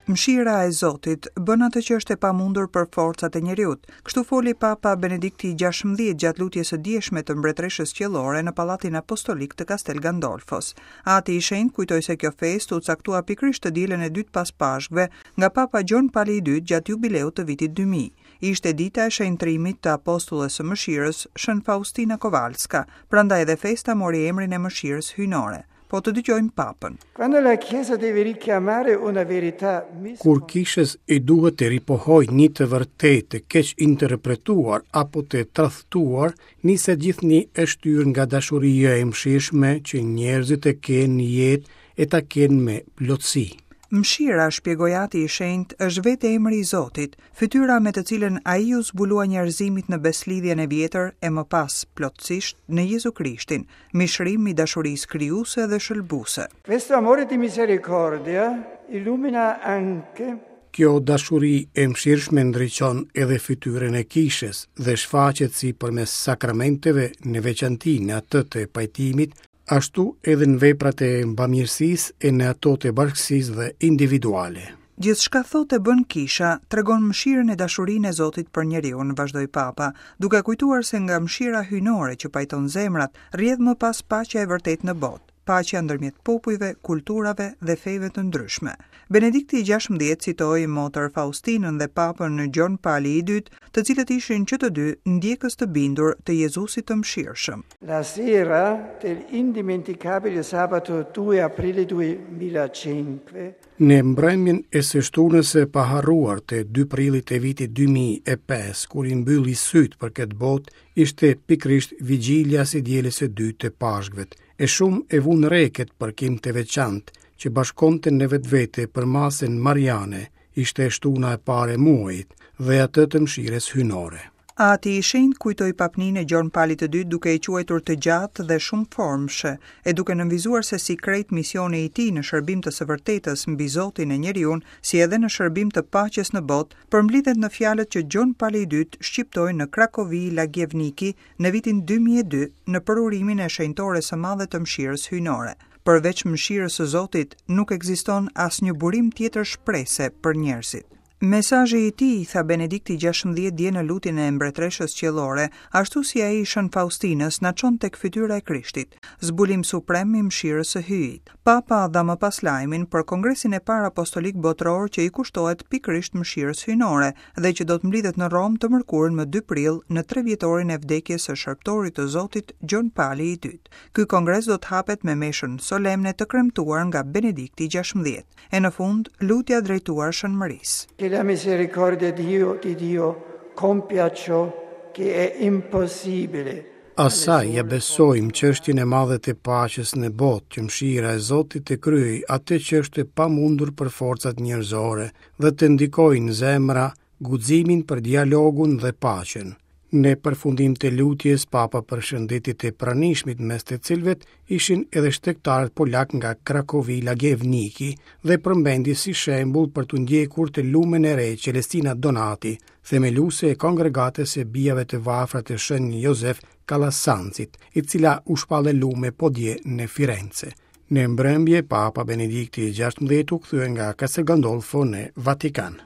Mëshira e Zotit bën atë që është e pamundur për forcat e njeriut. Kështu foli Papa Benedikti i 16 gjatë lutjes së djeshme të Mbretëreshës Qiellore në Pallatin Apostolik të Castel Gandolfos. Ati i Shenjtë kujtoi se kjo festë u caktua pikërisht të dielën e dytë pas Pashkëve nga Papa Gjon Pali i II gjatë jubileut të vitit 2000. Ishte dita e shenjtërimit të apostulles së mëshirës, Shën Faustina Kowalska, prandaj edhe festa mori emrin e mëshirës hyjnore. Po të dëgjojmë Papën. Quando la Chiesa deve richiamare una verità Kur kishës i duhet të ripohojë një të vërtetë të keqinterpretuar apo të tradhtuar, niset gjithnjë e shtyrë nga dashuria e mëshirshme që njerëzit të kenë jetë e ta kenë me plotësi. Mëshira, shpjegoi Ati i Shenjtë, është vetë emri i Zotit, fytyra me të cilën Ai iu zbulua njerëzimit në Besëlidhjen e Vjetër e më pas, plotësisht, në Jezu Krishtin, mishërim i dashurisë krijuese dhe shëlbuese. Questo amore di misericordia illumina anche Kjo dashuri e mëshirshme ndriçon edhe fytyrën e Kishës dhe shfaqet si përmes sakramenteve, në veçanti në atë të pajtimit, ashtu edhe në veprat e bamirësisë e në ato të bashkësisë dhe individuale. Gjithçka thotë e bën Kisha, tregon mëshirën e dashurinë e Zotit për njeriun, vazhdoi Papa, duke kujtuar se nga mëshira hyjnore që pajton zemrat, rrjedh më pas paqja e vërtetë në botë, paqja ndërmjet popujve, kulturave dhe feve të ndryshme. Benedikti i 16 citoi Motër Faustinën dhe Papën Gjon Pali i II, të cilët ishin që të dy ndjekës të bindur të Jezusit të mëshirshëm. La sera dell'indimenticabile sabato 2 aprile 2005 Në mbrëmjen e së shtunës së paharruar të 2 prillit të vitit 2005, kur i mbylli sytë për këtë botë, ishte pikërisht vigjilja e së dielës së dytë të Pashkëve. E shumë e vunë re këtë përkim të veçantë që bashkonte në vetvete përmasën mariane, ishte e shtuna e parë e muajit dhe atë të mëshirës hyjnore. Ati i Shenjtë kujtoi papninë e Gjon Palit të Dytë duke e quajtur të gjatë dhe shumëformëshe, e duke nënvizuar se si krejt misioni i tij në shërbim të së vërtetës mbi Zotin e njeriun, si edhe në shërbim të paqes në botë, përmblidhet në fjalët që Gjon Pali i Dytë shqiptoi në Krakovi Lagievniki në vitin 2002 në përurimin e Shenjtores së Madhe të Mëshirës Hyjnore. Përveç mëshirës së Zotit, nuk ekziston asnjë burim tjetër shprese për njerëzit. Mesazhi i tij, tha Benedikti 16 dje në lutjen e Mbretëreshës Qiellore, ashtu si ai i Shën Faustinës, na çon tek fytyra e Krishtit, zbulim suprem i mëshirës së Hyjit. Papa dha më pas lajmin për Kongresin e parë Apostolik Botëror që i kushtohet pikërisht mëshirës hyjnore dhe që do të mblidhet në Romë të mërkurën më 2 prill në trevjetorin e vdekjes së shërbëtorit të Zotit Gjon Pali i II. Ky kongres do të hapet me meshën solemne të kremtuar nga Benedikti 16. E në fund, lutja drejtuar Shën Mërisë. Che la misericordia di Dio, di Dio compia ciò che è impossibile. Asaj ia besojmë çështjen e madhe të paqes në botë, që mëshira e Zotit të kryejë atë që është e pamundur për forcat njerëzore dhe të ndikojë në zemra guximin për dialogun dhe paqen. Në përfundim të lutjes, Papa përshëndeti të pranishmit mes të cilëve ishin edhe shtegtarët polakë nga Krakovi Lagievniki dhe përmendi si shembull për t'u ndjekur të lumen e re Celestina Donati, themeluese e kongregatës së bijave të varfra të Shën Jozef Kalasancit, e cila u shpall e lume po dje në Firence. Në mbrëmje, Papa Benedikti XVI u kthye nga Castel Gandolfo në Vatikan.